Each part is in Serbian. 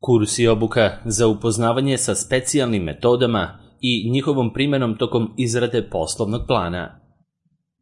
Kurs i obuka za upoznavanje sa specijalnim metodama i njihovom primjenom tokom izrade poslovnog plana.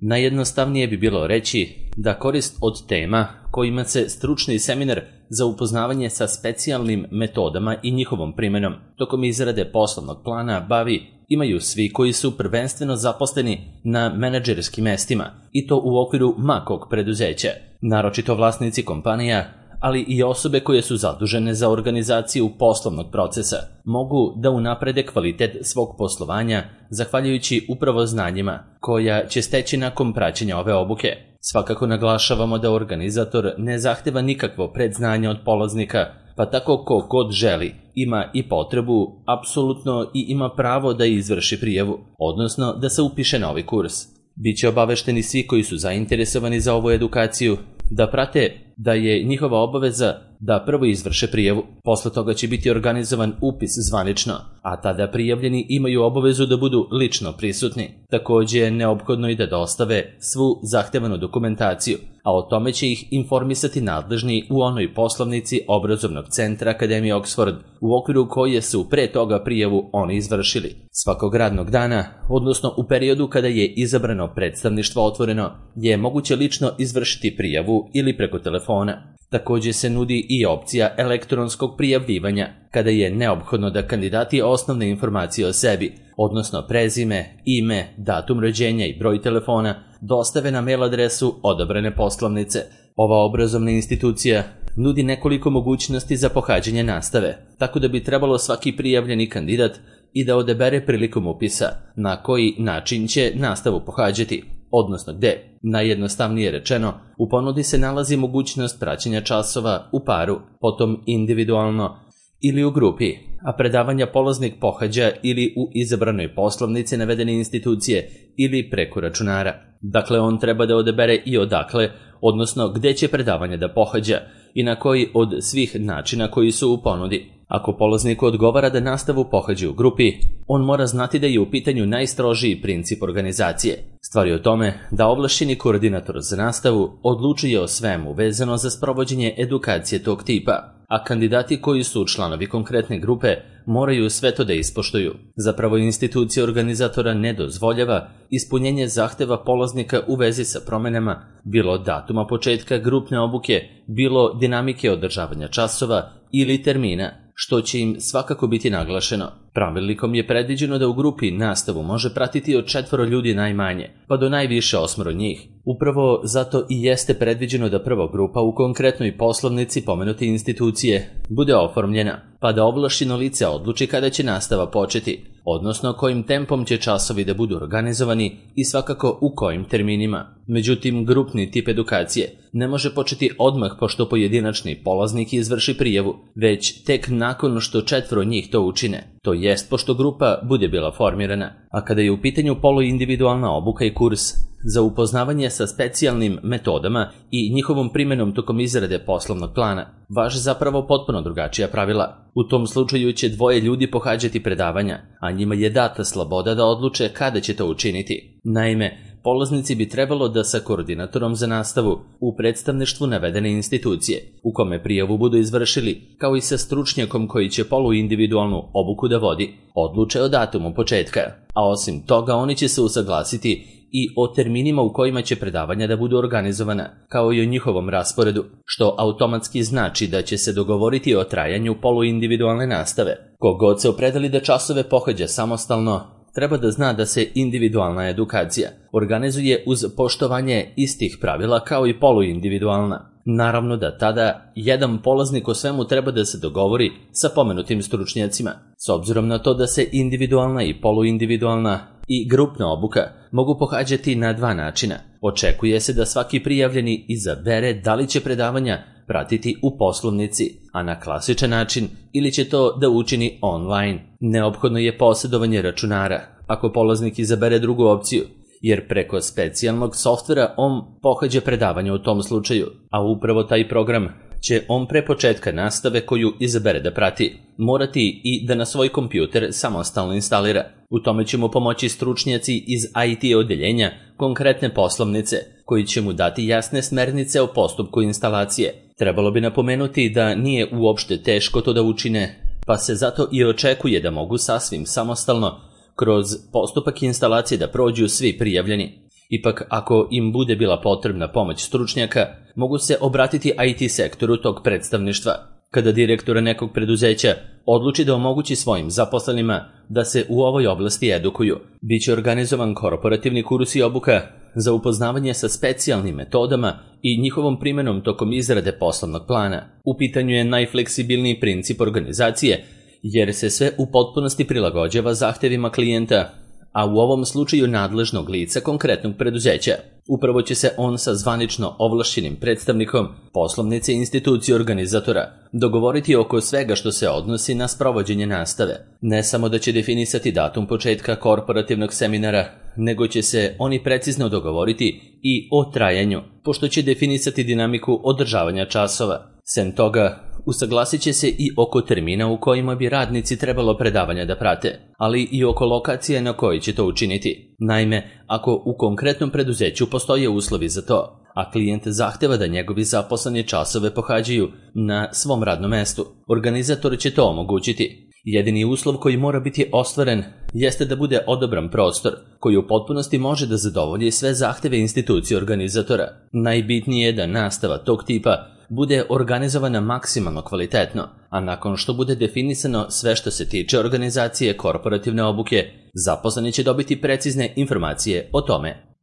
Najjednostavnije bi bilo reći da korist od tema kojima se stručni seminar za upoznavanje sa specijalnim metodama i njihovom primjenom tokom izrade poslovnog plana bavi imaju svi koji su prvenstveno zaposleni na menadžerskim mestima i to u okviru makog preduzeća, naročito vlasnici kompanija, ali i osobe koje su zadužene za organizaciju poslovnog procesa, mogu da unaprede kvalitet svog poslovanja zahvaljujući upravo znanjima koja će steći nakon praćenja ove obuke. Svakako naglašavamo da organizator ne zahteva nikakvo predznanje od polaznika, pa tako ko god želi, ima i potrebu, apsolutno i ima pravo da izvrši prijavu, odnosno da se upiše na ovaj kurs. Biće obavešteni svi koji su zainteresovani za ovu edukaciju, da prate da je njihova obaveza da prvo izvrše prijavu, posle toga će biti organizovan upis zvanično, a tada prijavljeni imaju obavezu da budu lično prisutni. Također je neophodno i da dostave svu zahtevanu dokumentaciju, a o tome će ih informisati nadležni u onoj poslovnici obrazovnog centra Akademije Oxford, u okviru koje su pre toga prijavu oni izvršili. Svakog radnog dana, odnosno u periodu kada je izabrano predstavništvo otvoreno, je moguće lično izvršiti prijavu ili preko telefona. Također se nudi i opcija elektronskog prijavljivanja, kada je neophodno da kandidati osnovne informacije o sebi, odnosno prezime, ime, datum rođenja i broj telefona, dostave na mail adresu odabrane poslovnice. Ova obrazovna institucija nudi nekoliko mogućnosti za pohađanje nastave, tako da bi trebalo svaki prijavljeni kandidat i da odabere prilikom upisa na koji način će nastavu pohađati, odnosno gde. Najjednostavnije rečeno, u ponudi se nalazi mogućnost praćenja časova u paru, potom individualno ili u grupi, a predavanja polaznik pohađa ili u izabranoj poslovnici navedene institucije ili preko računara. Dakle, on treba da odabere i odakle, odnosno gde će predavanja da pohađa i na koji od svih načina koji su u ponudi. Ako polazniku odgovara da nastavu pohađa u grupi, on mora znati da je u pitanju najstrožiji princip organizacije. Stvar je o tome da ovlašćeni koordinator za nastavu odlučuje o svemu vezano za sprovođenje edukacije tog tipa, a kandidati koji su članovi konkretne grupe moraju sve to da ispoštuju. Zapravo institucija organizatora ne dozvoljava ispunjenje zahteva polaznika u vezi sa promenama, bilo datuma početka grupne obuke, bilo dinamike održavanja časova ili termina, što će im svakako biti naglašeno. Pravilnikom je predviđeno da u grupi nastavu može pratiti od 4 ljudi najmanje, pa do najviše 8 njih. Upravo zato i jeste predviđeno da prva grupa u konkretnoj poslovnici pomenute institucije bude oformljena, pa da ovlašćeno lice odluči kada će nastava početi, odnosno kojim tempom će časovi da budu organizovani i svakako u kojim terminima. Međutim, grupni tip edukacije ne može početi odmah pošto pojedinačni polaznik izvrši prijavu, već tek nakon što 4 njih to učine, to jest pošto grupa bude bila formirana. A kada je u pitanju poluindividualna obuka i kurs za upoznavanje sa specijalnim metodama i njihovom primjenom tokom izrade poslovnog plana, važe zapravo potpuno drugačija pravila. U tom slučaju će 2 ljudi pohađati predavanja, a njima je data sloboda da odluče kada će to učiniti. Naime, polaznici bi trebalo da sa koordinatorom za nastavu u predstavništvu navedene institucije, u kome prijavu budu izvršili, kao i sa stručnjakom koji će poluindividualnu obuku da vodi, odluče o datumu početka. A osim toga, oni će se usaglasiti i o terminima u kojima će predavanja da budu organizovana, kao i o njihovom rasporedu, što automatski znači da će se dogovoriti o trajanju poluindividualne nastave. Kogod se opredeli da časove pohađa samostalno, treba da zna da se individualna edukacija organizuje uz poštovanje istih pravila kao i poluindividualna. Naravno da tada jedan polaznik o svemu treba da se dogovori sa pomenutim stručnjacima. S obzirom na to da se individualna i poluindividualna i grupna obuka mogu pohađati na 2 načina. Očekuje se da svaki prijavljeni izabere da li će predavanja pratiti u poslovnici, a na klasičan način ili će to da učini online. Neophodno je posjedovanje računara, ako polaznik izabere drugu opciju, jer preko specijalnog softvera on pohađa predavanje u tom slučaju, a upravo taj program će on pre početka nastave koju izabere da prati morati i da na svoj kompjuter samostalno instalira. U tome će mu pomoći stručnjaci iz IT odeljenja konkretne poslovnice koji će mu dati jasne smernice o postupku instalacije. Trebalo bi napomenuti da nije uopšte teško to da učine, pa se zato i očekuje da mogu sasvim samostalno kroz postupak instalacije da prođu svi prijavljeni. Ipak, ako im bude bila potrebna pomoć stručnjaka, mogu se obratiti IT sektoru tog predstavništva. Kada direktor nekog preduzeća odluči da omogući svojim zaposlenima da se u ovoj oblasti edukuju, biće organizovan korporativni kurs i obuka za upoznavanje sa specijalnim metodama i njihovom primjenom tokom izrade poslovnog plana. U pitanju je najfleksibilniji princip organizacije, jer se sve u potpunosti prilagođava zahtevima klijenta, a u ovom slučaju nadležnog lica konkretnog preduzeća. Upravo će se on sa zvanično ovlašćenim predstavnikom poslovnice institucije organizatora dogovoriti oko svega što se odnosi na sprovođenje nastave. Ne samo da će definisati datum početka korporativnog seminara, nego će se oni precizno dogovoriti i o trajanju, pošto će definisati dinamiku održavanja časova. Sem toga, usaglasit će se i oko termina u kojima bi radnici trebalo predavanja da prate, ali i oko lokacije na kojoj će to učiniti. Naime, ako u konkretnom preduzeću postoje uslovi za to, a klijent zahteva da njegovi zaposleni časove pohađaju na svom radnom mestu, organizator će to omogućiti. Jedini uslov koji mora biti ostvaren jeste da bude odabran prostor koji u potpunosti može da zadovolji sve zahteve institucije organizatora. Najbitnije je da nastava tog tipa bude organizovana maksimalno kvalitetno, a nakon što bude definisano sve što se tiče organizacije korporativne obuke, zaposleni će dobiti precizne informacije o tome.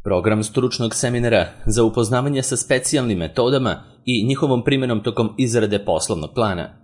Program stručnog seminara za upoznavanje sa specijalnim metodama i njihovom primjenom tokom izrade poslovnog plana.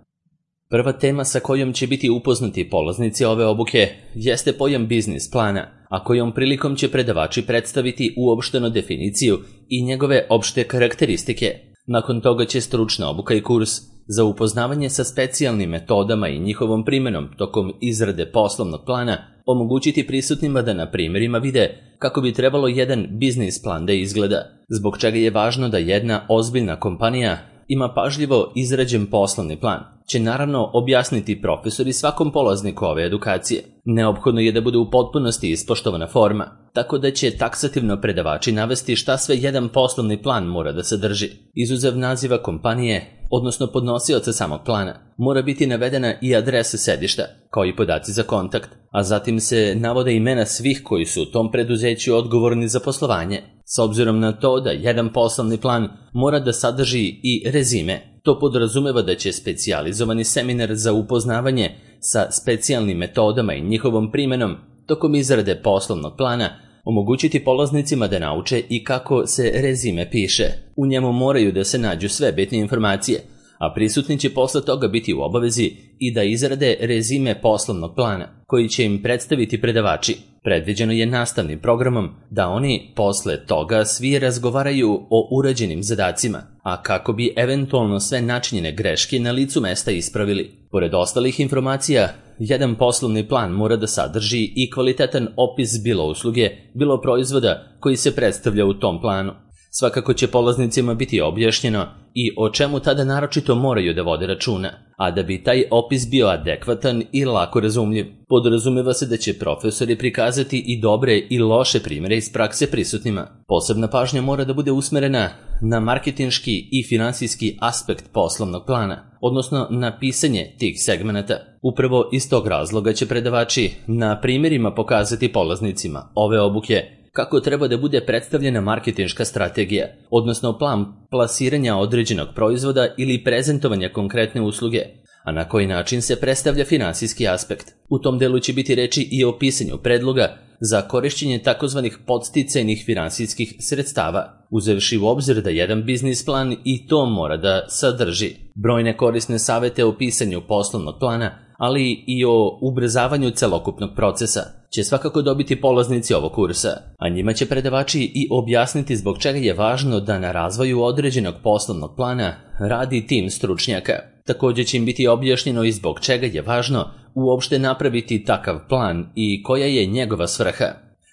Prva tema sa kojom će biti upoznati polaznici ove obuke jeste pojam biznis plana, a kojom prilikom će predavači predstaviti uopštenu definiciju i njegove opšte karakteristike. Nakon toga će stručna obuka i kurs za upoznavanje sa specijalnim metodama i njihovom primjenom tokom izrade poslovnog plana omogućiti prisutnima da na primjerima vide kako bi trebalo jedan biznis plan da izgleda, zbog čega je važno da jedna ozbiljna kompanija ima pažljivo izrađen poslovni plan, će naravno objasniti profesori svakom polazniku ove edukacije. Neophodno je da bude u potpunosti ispoštovana forma, tako da će taksativno predavači navesti šta sve jedan poslovni plan mora da sadrži. Izuzev naziva kompanije, odnosno podnosioca samog plana, mora biti navedena i adresa sedišta, kao i podaci za kontakt, a zatim se navode imena svih koji su u tom preduzeću odgovorni za poslovanje. S obzirom na to da jedan poslovni plan mora da sadrži i rezime, to podrazumeva da će specijalizovani seminar za upoznavanje sa specijalnim metodama i njihovom primjenom tokom izrade poslovnog plana omogućiti polaznicima da nauče i kako se rezime piše. U njemu moraju da se nađu sve bitne informacije, a prisutni će posle toga biti u obavezi i da izrade rezime poslovnog plana, koji će im predstaviti predavači. Predviđeno je nastavnim programom da oni posle toga svi razgovaraju o urađenim zadacima, a kako bi eventualno sve načinjene greške na licu mesta ispravili. Pored ostalih informacija, jedan poslovni plan mora da sadrži i kvalitetan opis bilo usluge, bilo proizvoda koji se predstavlja u tom planu. Svakako će polaznicima biti objašnjeno i o čemu tada naročito moraju da vode računa, a da bi taj opis bio adekvatan i lako razumljiv, podrazumeva se da će profesori prikazati i dobre i loše primjere iz prakse prisutnima. Posebna pažnja mora da bude usmerena na marketinški i finansijski aspekt poslovnog plana, odnosno na pisanje tih segmenata. Upravo iz tog razloga će predavači na primjerima pokazati polaznicima ove obuke kako treba da bude predstavljena marketinška strategija, odnosno plan plasiranja određenog proizvoda ili prezentovanja konkretne usluge, a na koji način se predstavlja finansijski aspekt. U tom delu će biti reči i o pisanju predloga za korišćenje takozvanih podsticajnih finansijskih sredstava, uzevši u obzir da jedan biznis plan i to mora da sadrži brojne korisne savete o pisanju poslovnog plana, ali i o ubrzavanju celokupnog procesa, će svakako dobiti polaznici ovog kursa, a njima će predavači i objasniti zbog čega je važno da na razvoju određenog poslovnog plana radi tim stručnjaka. Također će im biti objašnjeno i zbog čega je važno uopšte napraviti takav plan i koja je njegova svrha.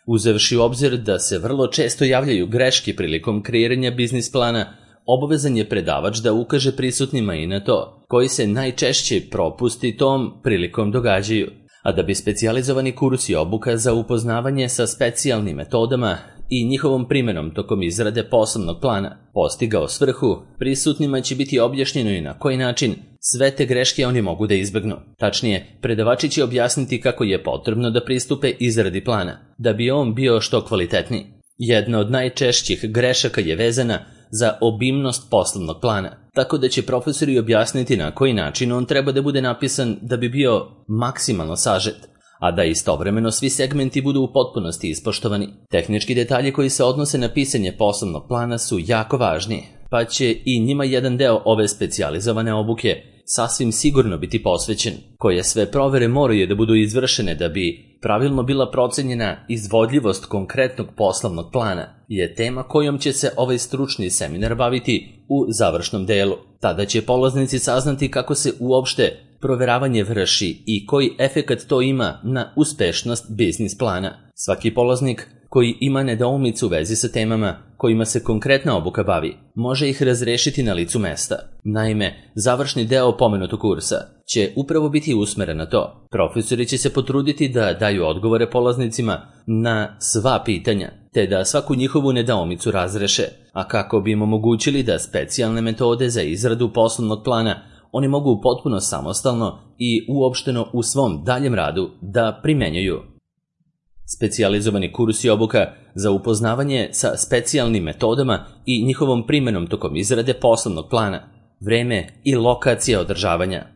Uzevši u obzir da se vrlo često javljaju greške prilikom kreiranja biznis plana, obavezan je predavač da ukaže prisutnima i na to, koji se najčešće propusti tom prilikom događaju. A da bi specijalizovani kurs i obuka za upoznavanje sa specijalnim metodama i njihovom primenom tokom izrade poslovnog plana postigao svrhu, prisutnima će biti objašnjeno i na koji način sve te greške oni mogu da izbegnu. Tačnije, predavači će objasniti kako je potrebno da pristupe izradi plana, da bi on bio što kvalitetniji. Jedna od najčešćih grešaka je vezana za obimnost poslovnog plana, tako da će profesori objasniti na koji način on treba da bude napisan da bi bio maksimalno sažet, a da istovremeno svi segmenti budu u potpunosti ispoštovani. Tehnički detalji koji se odnose na pisanje poslovnog plana su jako važni, pa će i njima jedan deo ove specijalizovane obuke sasvim sigurno biti posvećen. Koje sve provere moraju da budu izvršene da bi pravilno bila procenjena izvodljivost konkretnog poslovnog plana je tema kojom će se ovaj stručni seminar baviti u završnom delu. Tada će polaznici saznati kako se uopšte proveravanje vrši i koji efekat to ima na uspešnost biznis plana. Svaki polaznik koji ima nedoumicu u vezi sa temama kojima se konkretna obuka bavi, može ih razrešiti na licu mesta. Naime, završni deo pomenutog kursa će upravo biti usmeren na to. Profesori će se potruditi da daju odgovore polaznicima na sva pitanja, te da svaku njihovu nedoumicu razreše, a kako bi im omogućili da specijalne metode za izradu poslovnog plana oni mogu potpuno samostalno i uopšteno u svom daljem radu da primenjuju. Specijalizovani kurs i obuka za upoznavanje sa specijalnim metodama i njihovom primenom tokom izrade poslovnog plana, vreme i lokacija održavanja.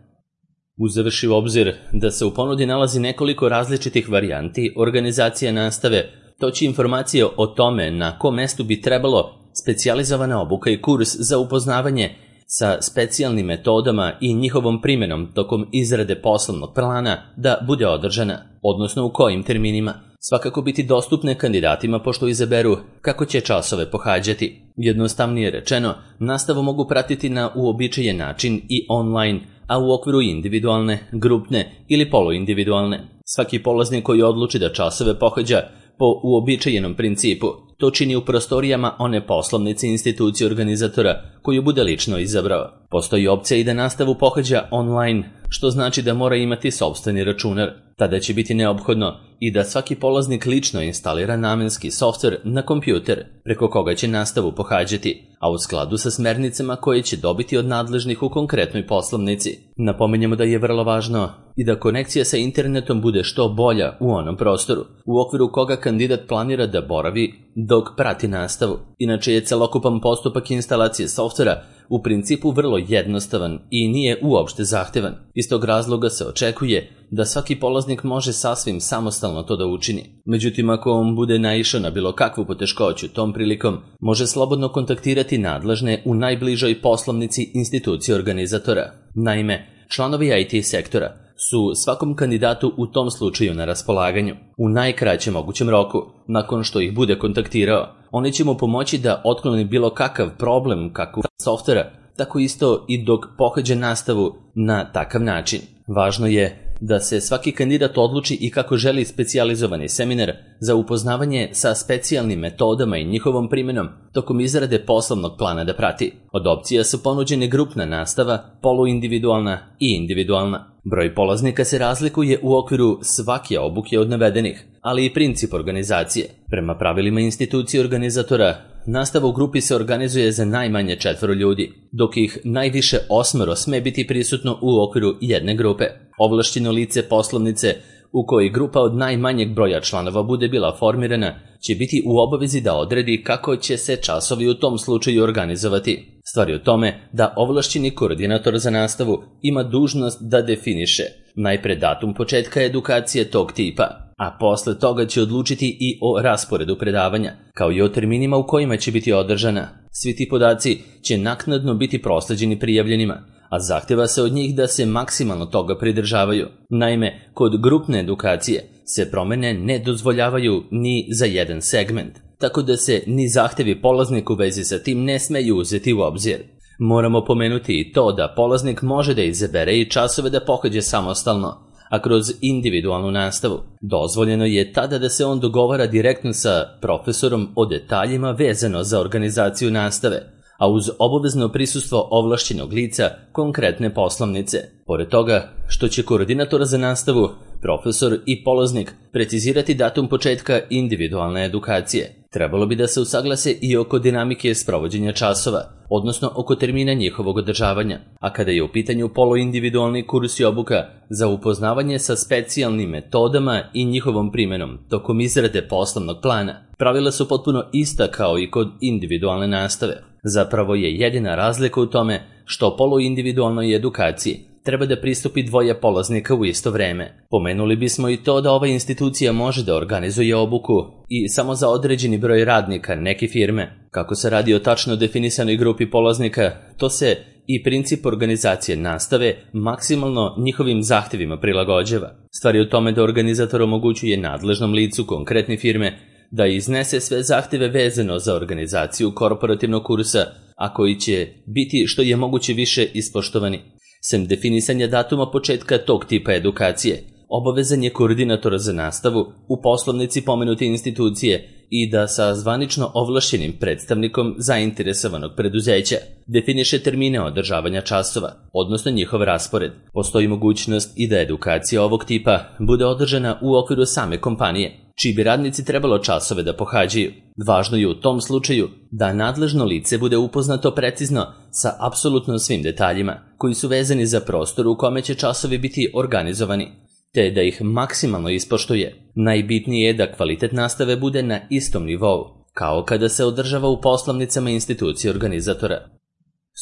Uzevši u obzir da se u ponudi nalazi nekoliko različitih varijanti organizacije nastave, to će informacije o tome na kom mestu bi trebalo specijalizovana obuka i kurs za upoznavanje sa specijalnim metodama i njihovom primenom tokom izrade poslovnog plana da bude održana, odnosno u kojim terminima, svakako biti dostupne kandidatima pošto izaberu kako će časove pohađati. Jednostavnije rečeno, nastavu mogu pratiti na uobičajen način i online, a u okviru individualne, grupne ili poluindividualne. Svaki polaznik koji odluči da časove pohađa po uobičajenom principu, to čini u prostorijama one poslovnice institucije organizatora koju bude lično izabrao. Postoji opcija i da nastavu pohađa online, što znači da mora imati sopstveni računar. Tada će biti neophodno i da svaki polaznik lično instalira namenski softver na kompjuter preko koga će nastavu pohađati, a u skladu sa smernicama koje će dobiti od nadležnih u konkretnoj poslovnici. Napominjemo da je vrlo važno i da konekcija sa internetom bude što bolja u onom prostoru, u okviru koga kandidat planira da boravi dok prati nastavu. Inače je celokupan postupak instalacije softvera u principu vrlo jednostavan i nije uopšte zahtevan. Iz tog razloga se očekuje da svaki polaznik može sasvim samostalno to da učini. Međutim, ako on bude naišao na bilo kakvu poteškoću tom prilikom, može slobodno kontaktirati nadležne u najbližoj poslovnici institucije organizatora. Naime, članovi IT sektora su svakom kandidatu u tom slučaju na raspolaganju. U najkraćem mogućem roku, nakon što ih bude kontaktirao, oni će mu pomoći da otkloni bilo kakav problem kako softvera, tako isto i dok pohađa nastavu na takav način. Važno je da se svaki kandidat odluči i kako želi specijalizovani seminar za upoznavanje sa specijalnim metodama i njihovom primenom tokom izrade poslovnog plana da prati. Od opcija su ponuđene grupna nastava, poluindividualna i individualna. Broj polaznika se razlikuje u okviru svake obuke od navedenih, ali i princip organizacije. Prema pravilima institucije organizatora, nastava u grupi se organizuje za najmanje 4 ljudi, dok ih najviše 8 sme biti prisutno u okviru jedne grupe. Ovlašćeno lice poslovnice u kojoj grupa od najmanjeg broja članova bude bila formirana će biti u obavezi da odredi kako će se časovi u tom slučaju organizovati. Stvar je u tome da ovlašćeni koordinator za nastavu ima dužnost da definiše najpre datum početka edukacije tog tipa, a posle toga će odlučiti i o rasporedu predavanja, kao i o terminima u kojima će biti održana. Svi ti podaci će naknadno biti prosleđeni prijavljenima, a zahteva se od njih da se maksimalno toga pridržavaju. Naime, kod grupne edukacije se promene ne dozvoljavaju ni za jedan segment, tako da se ni zahtevi polaznika u vezi sa tim ne smeju uzeti u obzir. Moramo pomenuti i to da polaznik može da izabere i časove da pohađa samostalno, a kroz individualnu nastavu. Dozvoljeno je tada da se on dogovara direktno sa profesorom o detaljima vezano za organizaciju nastave, a uz obavezno prisustvo ovlašćenog lica konkretne poslovnice. Pored toga što će koordinator za nastavu, profesor i polaznik precizirati datum početka individualne edukacije, Trebalo bi da se usaglase i oko dinamike sprovođenja časova, odnosno oko termina njihovog održavanja, a kada je u pitanju poluindividualni kurs i obuka za upoznavanje sa specijalnim metodama i njihovom primenom tokom izrade poslovnog plana, pravila su potpuno ista kao i kod individualne nastave. Zapravo je jedina razlika u tome što poluindividualnoj edukaciji treba da pristupi dvoje polaznika u isto vreme. Pomenuli bismo i to da ova institucija može da organizuje obuku i samo za određeni broj radnika neke firme. Kako se radi o tačno definisanoj grupi polaznika, to se i princip organizacije nastave maksimalno njihovim zahtevima prilagođava. Stvar je u tome da organizator omogućuje nadležnom licu konkretne firme da iznese sve zahteve vezano za organizaciju korporativnog kursa, a koji će biti što je moguće više ispoštovani. Sem definisanja datuma početka tog tipa edukacije, obavezan je koordinator za nastavu u poslovnici pomenute institucije i da sa zvanično ovlašćenim predstavnikom zainteresovanog preduzeća definiše termine održavanja časova, odnosno njihov raspored. Postoji mogućnost i da edukacija ovog tipa bude održana u okviru same kompanije, čiji bi radnici trebalo časove da pohađaju. Važno je u tom slučaju da nadležno lice bude upoznato precizno sa apsolutno svim detaljima koji su vezani za prostor u kome će časovi biti organizovani, te da ih maksimalno ispoštuje. Najbitnije je da kvalitet nastave bude na istom nivou, kao kada se održava u poslovnicama institucije organizatora.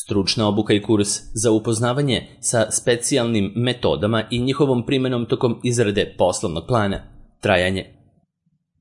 Stručna obuka i kurs za upoznavanje sa specijalnim metodama i njihovom primenom tokom izrade poslovnog plana. Trajanje.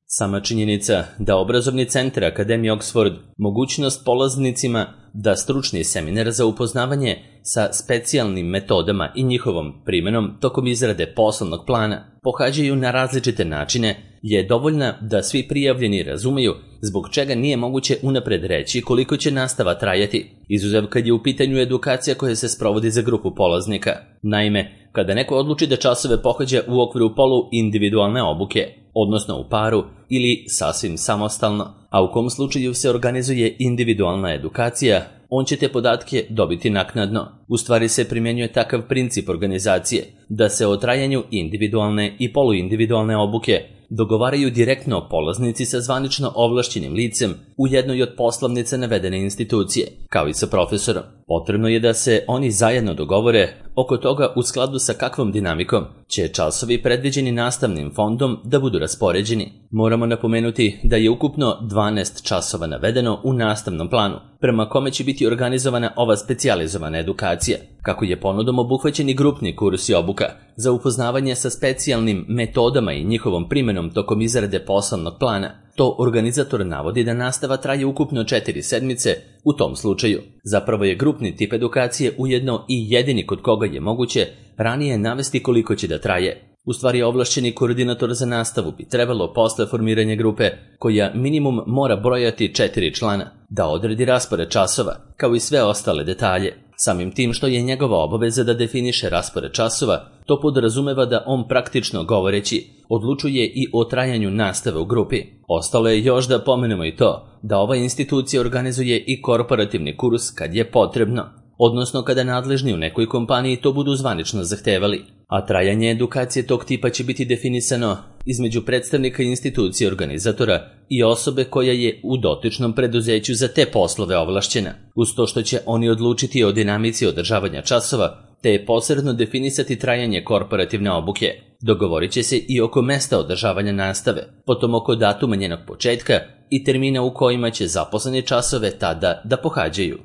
Sama činjenica da obrazovni centar Akademije Oxford mogućnost polaznicima da stručni seminar za upoznavanje sa specijalnim metodama i njihovom primenom tokom izrade poslovnog plana pohađaju na različite načine je dovoljna da svi prijavljeni razumeju zbog čega nije moguće unapred reći koliko će nastava trajati, izuzev kad je u pitanju edukacija koja se sprovodi za grupu polaznika. Naime, kada neko odluči da časove pohađa u okviru poluindividualne obuke, odnosno u paru ili sasvim samostalno, a u kom slučaju se organizuje individualna edukacija, on će te podatke dobiti naknadno. U stvari se primjenjuje takav princip organizacije da se o trajanju individualne i poluindividualne obuke dogovaraju direktno polaznici sa zvanično ovlašćenim licem u jednoj od poslovnica navedene institucije, kao i sa profesorom. Potrebno je da se oni zajedno dogovore oko toga u skladu sa kakvom dinamikom će časovi predviđeni nastavnim fondom da budu raspoređeni. Moramo napomenuti da je ukupno 12 časova navedeno u nastavnom planu, prema kome će biti organizovana ova specijalizovana edukacija. Kako je ponudom obuhvaćen i grupni kurs i obuka za upoznavanje sa specijalnim metodama i njihovom primenom tokom izrade poslovnog plana, to organizator navodi da nastava traje ukupno 4 sedmice u tom slučaju. Zapravo je grupni tip edukacije ujedno i jedini kod koga je moguće ranije navesti koliko će da traje. U stvari ovlašćeni koordinator za nastavu bi trebalo posle formiranja grupe, koja minimum mora brojati 4 člana, da odredi raspored časova, kao i sve ostale detalje. Samim tim što je njegova obaveza da definiše raspored časova, to podrazumeva da on praktično govoreći odlučuje i o trajanju nastave u grupi. Ostalo je još da pomenemo i to da ova institucija organizuje i korporativni kurs kad je potrebno, odnosno kada nadležni u nekoj kompaniji to budu zvanično zahtevali, a trajanje edukacije tog tipa će biti definisano između predstavnika institucije organizatora i osobe koja je u dotičnom preduzeću za te poslove ovlašćena, uz to što će oni odlučiti o dinamici održavanja časova, te je posredno definisati trajanje korporativne obuke. Dogovorit će se i oko mesta održavanja nastave, potom oko datuma njenog početka i termina u kojima će zaposleni časove tada da pohađaju.